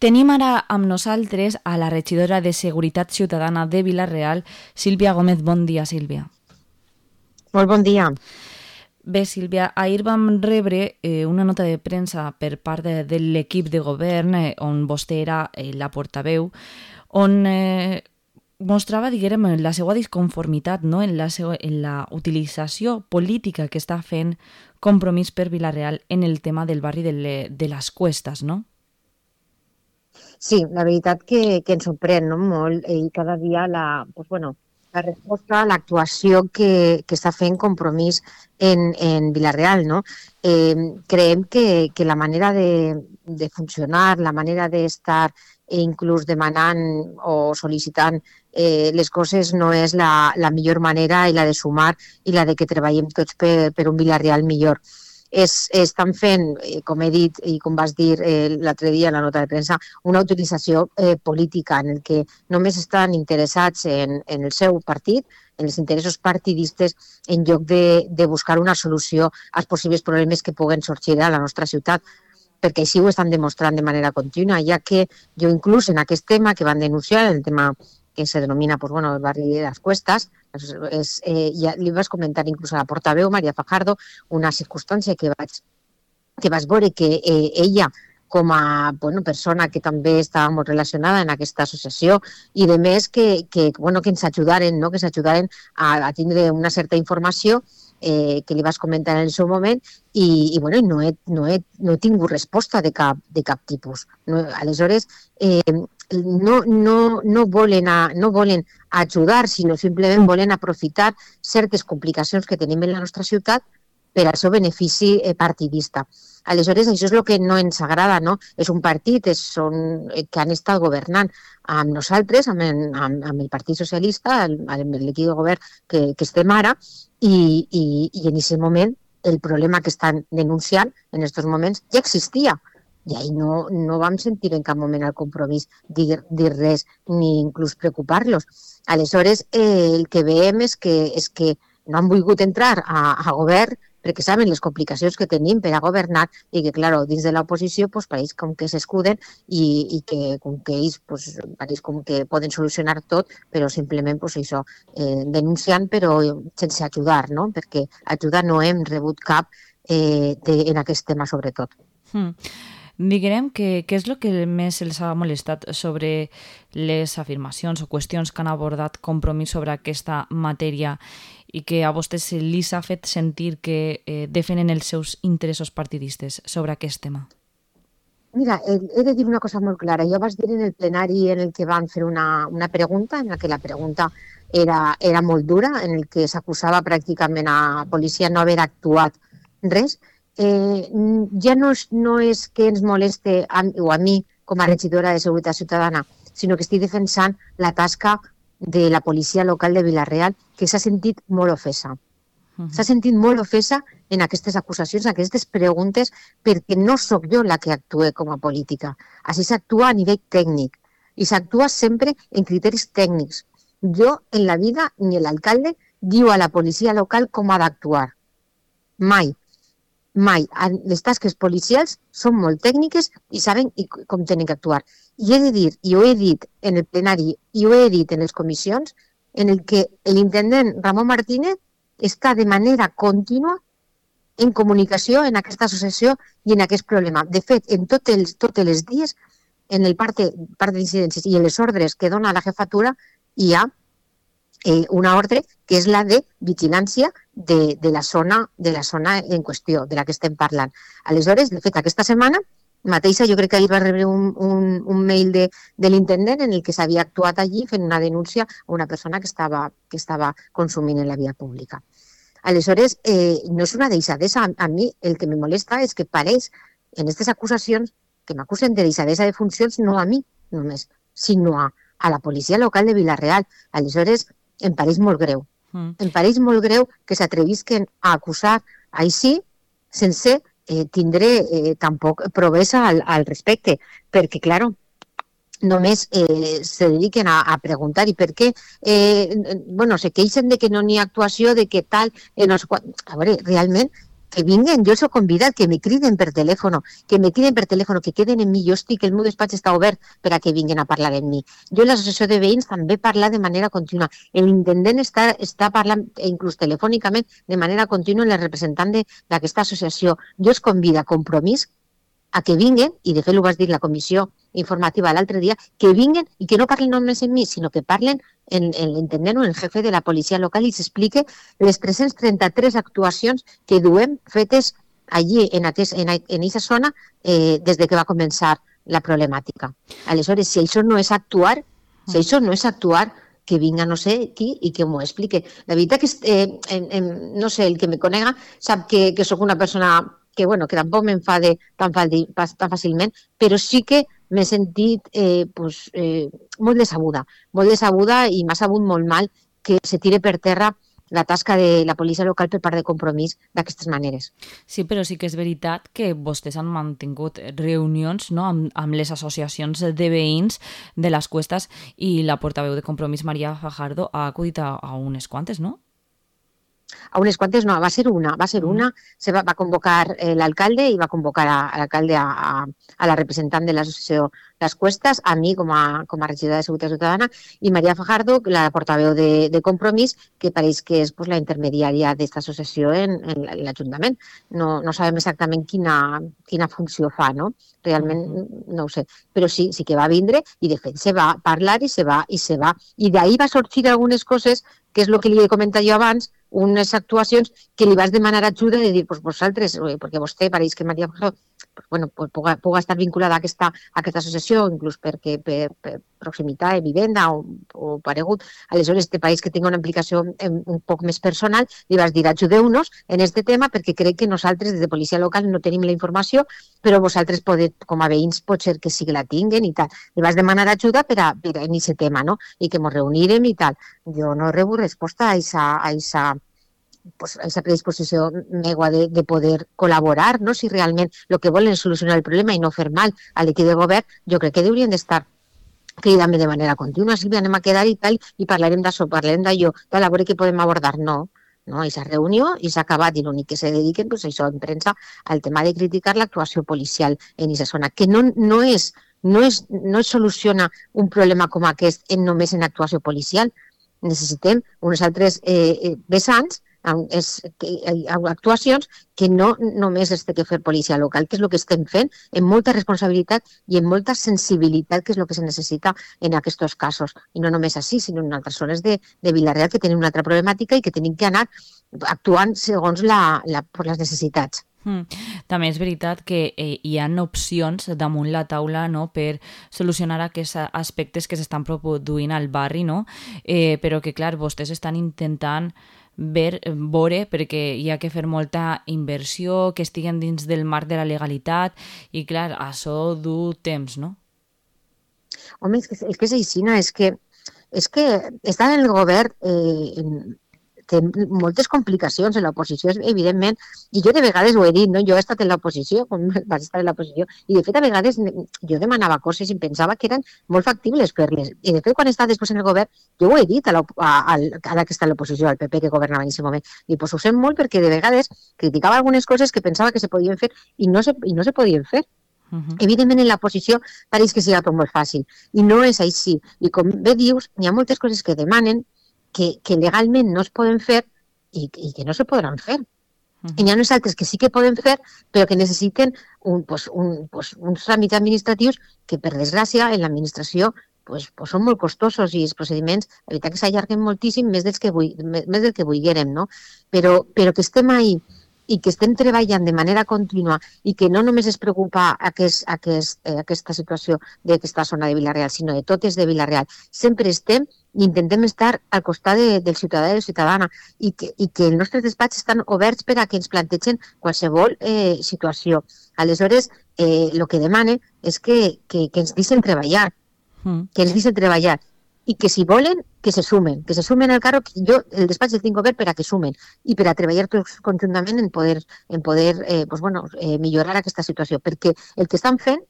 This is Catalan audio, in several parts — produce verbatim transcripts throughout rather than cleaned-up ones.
Tenim ara amb nosaltres a la regidora de Seguretat Ciutadana de Vila-real, Sílvia Gómez. Bon dia, Sílvia. Molt bon dia. Bé, Sílvia, ahir vam rebre eh, una nota de premsa per part de, de l'equip de govern eh, on vostè era eh, la portaveu, on eh, mostrava, diguem, la seva disconformitat, no? en, la seva, en la utilització política que està fent Compromís per Vila-real en el tema del barri de, le, de les Cuestas, no? Sí, la veritat que, que ens sorprèn, no? Molt, i cada dia la, pues, bueno, la resposta, l'actuació que, que està fent Compromís en, en Vila-real, no? Eh, creiem que, que la manera de, de funcionar, la manera d'estar e inclús demanant o sol·licitant eh, les coses no és la, la millor manera, i la de sumar i la de que treballem tots per, per un Vila-real millor. Es, estan fent, com he dit i com vas dir eh, l'altre dia en la nota de premsa, una utilització eh, política en el que només estan interessats en, en el seu partit, en els interessos partidistes, en lloc de, de buscar una solució als possibles problemes que puguen sorgir a la nostra ciutat, perquè així ho estan demostrant de manera contínua, ja que jo inclús en aquest tema que van denunciar, el tema que se denomina pues, bueno, el barri de les Cuestas, és, eh, ja li vas comentar inclús a la portaveu, Maria Fajardo, una circumstància que vaig, que vaig veure que eh, ella, com a bueno, persona que també estava molt relacionada en aquesta associació, i de més que, que, bueno, que ens ajudaren, no? que ens ajudaren a, a tindre una certa informació eh, que li vas comentar en el seu moment, i, i bueno, no, he, no, he, no he tingut resposta de cap, de cap tipus. No, aleshores, eh, no, no, no, volen a, no volen ajudar, sinó simplement volen aprofitar certes complicacions que tenim en la nostra ciutat per al seu benefici eh, partidista. Aleshores, això és el que no ens agrada, no? És un partit és, són, que han estat governant amb nosaltres, amb, amb, amb el Partit Socialista, amb l'equip de govern que, que estem ara, i, i, i en aquest moment el problema que estan denunciant en aquests moments ja existia. I ahir no, no vam sentir en cap moment el Compromís dir, dir res ni inclús preocupar-los. Aleshores, eh, el que veiem és que, és que no han volgut entrar a, a govern perquè saben les complicacions que tenim per a governar i que, clar, dins de l'oposició pues, pareix com que s'escuden i, i que com que ells pues, pareix com que poden solucionar tot, però simplement pues, això, eh, denunciant però sense ajudar, no? Perquè ajudar no hem rebut cap eh, de, en aquest tema sobretot. Hmm. Diguem que què és el que més els ha molestat sobre les afirmacions o qüestions que han abordat Compromís sobre aquesta matèria i que a vostès li s'ha fet sentir que eh, defenen els seus interessos partidistes sobre aquest tema? Mira, he de dir una cosa molt clara. Jo vaig dir en el plenari en el que van fer una, una pregunta, en la que la pregunta era, era molt dura, en el que s'acusava pràcticament a la policia no haver actuat res. Eh, ja no és, no és que ens moleste a, o a mi com a regidora de Seguretat Ciutadana, sinó que estic defensant la tasca de la policia local de Vila-real, que s'ha sentit molt ofesa. Uh-huh. S'ha sentit molt ofesa en aquestes acusacions, en aquestes preguntes, perquè no sóc jo la que actua com a política. Així s'actua a nivell tècnic i s'actua sempre en criteris tècnics. Jo, en la vida, ni l'alcalde diu a la policia local com ha d'actuar. Mai. Mai. Les tasques policials són molt tècniques i saben com tenen que actuar. I he de dir, i ho he dit en el plenari, i ho he dit en les comissions, en el que l'intendent Ramon Martínez està de manera contínua en comunicació en aquesta associació i en aquest problema. De fet, en tots els, tots els dies, en el part, part d'incidències i en les ordres que dona la jefatura, hi ha Eh, una ordre que és la de vigilància de, de, la zona, de la zona en qüestió, de la que estem parlant. Aleshores, de fet, aquesta setmana mateixa, jo crec que ahir va rebre un, un, un mail de, de l'intendent en el que s'havia actuat allí fent una denúncia a una persona que estava, que estava consumint en la via pública. Aleshores, eh, no és una deixadesa. A, a mi el que me molesta és que pareix en aquestes acusacions que m'acusen de deixadesa de funcions no a mi només, sinó a, a la policia local de Vila-real. Aleshores, em pareix molt greu. Mm. Em pareix molt greu que s'atrevisquen a acusar així sense eh, tindre eh, tampoc provesa al, al respecte, perquè, claro, només eh, se dediquen a, a preguntar i per què, eh, bueno, se queixen de que no n'hi ha actuació, de que tal, eh, no sé quan. A veure, realment, que vinguen, jo els he convidat, que me criden per telèfon, que me criden per telèfon, que queden en mi, jo estic, el meu despatx està obert per a que vinguin a parlar amb mi. Jo en l'associació de veïns també parla de manera contínua. L'intendent està, està parlant, inclús telefònicament, de manera contínua amb el representant d'aquesta associació. Jo els convido a Compromís a que vinguen, i de fet ho vas dir la comissió informativa l'altre dia, que vinguen i que no parlen només en mi, sinó que parlen en, en l'intendent o en el jefe de la policia local i s'explique les tres-centes trenta-tres actuacions que duem fetes allí, en aquesta en, en esa zona, eh, des de que va començar la problemàtica. Aleshores, si això no és actuar, si això no és actuar, que vinga no sé qui i que m'ho explique. La veritat que, eh, en, en, no sé, el que me conega sap que, que sóc una persona que, bueno, que tampoc m'enfade tan, tan fàcilment, però sí que m'he sentit eh, pues, eh, molt decebuda, molt decebuda i m'ha sabut molt mal que se tire per terra la tasca de la policia local per part de Compromís d'aquestes maneres. Sí, però sí que és veritat que vostès han mantingut reunions, no?, amb, amb les associacions de veïns de les Cuestas i la portaveu de Compromís, Maria Fajardo, ha acudit a, a unes quantes, no? A unes quantes no, va ser una, va ser una, se va, va convocar eh, l'alcalde i va convocar a, a l'alcalde a, a, a la representant de l'associació Les Cuestas, a mi com a, com a regidora de Seguretat Ciutadana, i Maria Fajardo, la portaveu de, de Compromís, que pareix que és pues, la intermediària d'aquesta associació en, en l'Ajuntament. No, no sabem exactament quina, quina funció fa, no? Realment no ho sé, però sí, sí que va vindre i de fet se va parlar i se va, i se va. I d'ahir va sorgir algunes coses, que és el que li he comentat jo abans, unes actuacions que li vas demanar ajuda de dir, pues vosaltres, perquè vostè pareix que Maria Fajardo pues, bueno, pues, puga, puga estar vinculada a aquesta, a aquesta associació, inclús perquè per, per proximitat, vivenda o, o paregut. Aleshores, te pareix que tingui una implicació un poc més personal, li vas dir, ajudeu-nos en aquest tema perquè crec que nosaltres, des de policia local, no tenim la informació, però vosaltres, podeu, com a veïns, pot ser que sí que la tinguen i tal. Li vas demanar ajuda per a, per a en aquest tema, no? I que ens reunirem i tal. Jo no rebo resposta a aquesta pues, esa predisposició megua de, de poder col·laborar, no? Si realment el que volen és solucionar el problema i no fer mal a l'equip de govern, jo crec que haurien d'estar cridant-me de manera contínua, Sílvia, anem a quedar i tal, i parlarem d'això, parlarem d'allò, tal, a veure què podem abordar. No, no, aquesta reunió i s'ha acabat, i l'únic que se dediquen, pues, això, en premsa, al tema de criticar l'actuació policial en aquesta zona, que no, no és, no és, no es soluciona un problema com aquest en només en actuació policial. Necessitem unes altres eh, vessants, és, que, actuacions que no només es té que fer policia local, que és el que estem fent amb molta responsabilitat i amb molta sensibilitat, que és el que se necessita en aquests casos. I no només així, sinó en altres zones de, de Vila-real que tenen una altra problemàtica i que tenim que anar actuant segons la, la, per les necessitats. Mm. També és veritat que eh, hi ha opcions damunt la taula, no?, per solucionar aquests aspectes que s'estan produint al barri, no? Eh, però que, clar, vostès estan intentant ver, veure, perquè hi ha que fer molta inversió, que estiguen dins del marc de la legalitat, i clar, això du temps, no? Home, és que és, que és així, és que, és que estar en el govern eh, té moltes complicacions en l'oposició, evidentment, i jo de vegades ho he dit, no? Jo he estat en l'oposició, com vaig estar en l'oposició, i de fet a vegades jo demanava coses i pensava que eren molt factibles fer-les, i de fet quan he estat després en el govern, jo ho he dit a la, a, a, a la que està a l'oposició, al P P que governava en aquest moment, i pues ho sé molt perquè de vegades criticava algunes coses que pensava que se podien fer i no se, i no se podien fer. Uh-huh. Evidentment en l'oposició pareix que sigui tot molt fàcil, i no és així, i com bé dius, hi ha moltes coses que demanen Que, que legalment no es poden fer i, i que no se podran fer. Uh-huh. I hi ha unes altres que sí que poden fer, però que necessiten un, pues, un, pues, uns tràmits administratius que, per desgràcia, en l'administració pues, pues són molt costosos i els procediments, la veritat que s'allarguen moltíssim, més, dels que vull, més del que vulguérem, no? Però, però que estem ahí i que estem treballant de manera contínua i que no només es preocupa aquest, aquest, eh, aquesta situació d'aquesta zona de Vila-real, sinó de totes de Vila-real. Sempre estem i intentem estar al costat de, del ciutadà i de la ciutadana i que, i que els nostres despatxos estan oberts per a que ens plantegen qualsevol eh, situació. Aleshores, eh, el que demane és que, que, que ens deixen treballar, mm. que ens deixen treballar i que si volen, que se sumen, que se sumen al carro, que jo el despatx el tinc obert per a que sumen i per a treballar tots conjuntament en poder, en poder eh, pues bueno, eh, millorar aquesta situació, perquè el que estan fent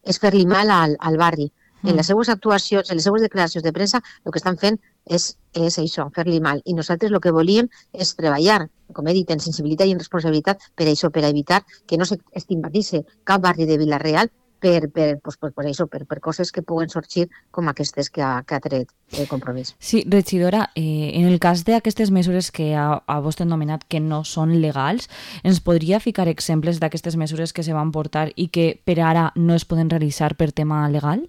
és fer-li mal al, al barri, en les seues actuacions, en les seues declaracions de premsa, el que estan fent és, és això, fer-li mal. I nosaltres el que volíem és treballar, com he dit, en sensibilitat i en responsabilitat per això, per evitar que no s'estigmatitzi cap barri de Vila-real per, per, pues, pues, pues això, per, per coses que puguen sorgir com aquestes que ha, que ha tret el Compromís. Sí, regidora, eh, en el cas d'aquestes mesures que ha, ha vostè nomenat que no són legals, ens podria ficar exemples d'aquestes mesures que se van portar i que per ara no es poden realitzar per tema legal?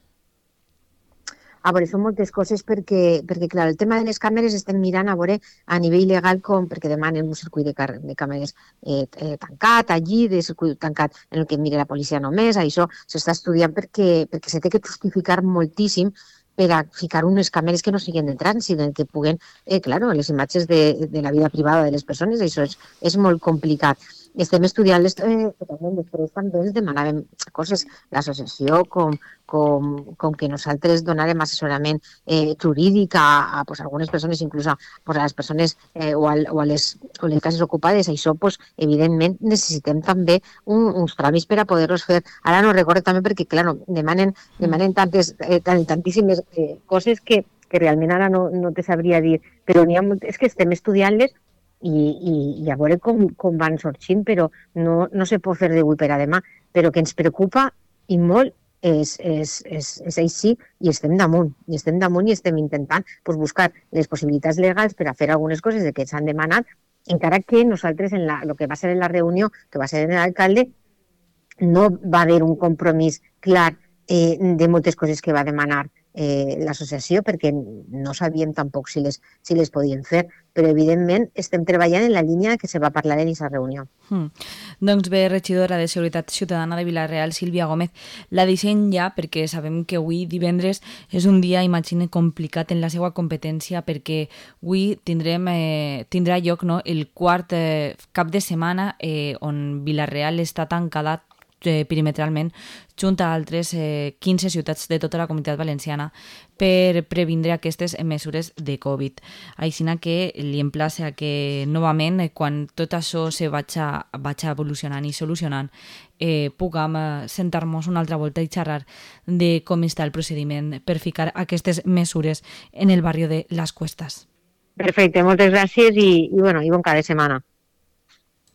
A veure, són moltes coses perquè, perquè clar, el tema de les càmeres estem mirant a veure a nivell legal com, perquè demanen un circuit de, car de càmeres eh, eh, tancat allí, de circuit tancat en el que mire la policia només, això s'està estudiant perquè, perquè se té que justificar moltíssim per a ficar unes càmeres que no siguin de trànsit, en què puguen, eh, claro, les imatges de, de la vida privada de les persones, això és, és molt complicat. Estem estudiant-les, eh, també després també ens demanàvem coses, l'associació, com, com, com que nosaltres donàrem assessorament eh, jurídic a, a pues, algunes persones, inclús a, pues, a les persones eh, o, al, o a les, o les cases ocupades. Això, pues, evidentment, necessitem també un, uns tràmits per a poder-los fer. Ara no recordo també perquè, clar, no, demanen, demanen tantes, eh, tantíssimes eh, coses que, que realment ara no, no te sabria dir, però n'hi ha molt, és que estem estudiant-les i, i, i a veure com, com van sorgint, però no, no se pot fer d'avui per a demà, però que ens preocupa i molt és, és, és, és així i estem damunt, i estem damunt i estem intentant pues, buscar les possibilitats legals per a fer algunes coses de que s'han demanat, encara que nosaltres en la, el que va ser en la reunió, que va ser en l'alcalde, no va haver un compromís clar eh, de moltes coses que va demanar eh, l'associació, perquè no sabíem tampoc si les, si les podien fer, però evidentment estem treballant en la línia que se va parlar en aquesta reunió. Hmm. Doncs bé, regidora de Seguretat Ciutadana de Vila-real, Sílvia Gómez, la deixem ja perquè sabem que avui divendres és un dia, imagine, complicat en la seva competència perquè avui tindrem, eh, tindrà lloc no, el quart eh, cap de setmana eh, on Vila-real està tancada eh, perimetralment junt a altres eh, quinze ciutats de tota la comunitat valenciana per previndre aquestes mesures de Covid. Així que li emplace a que novament, eh, quan tot això se vagi, vagi evolucionant i solucionant, eh, puguem eh, sentar-nos una altra volta i xerrar de com està el procediment per ficar aquestes mesures en el barri de Les Cuestas. Perfecte, moltes gràcies i, i, bueno, i bon cap de setmana.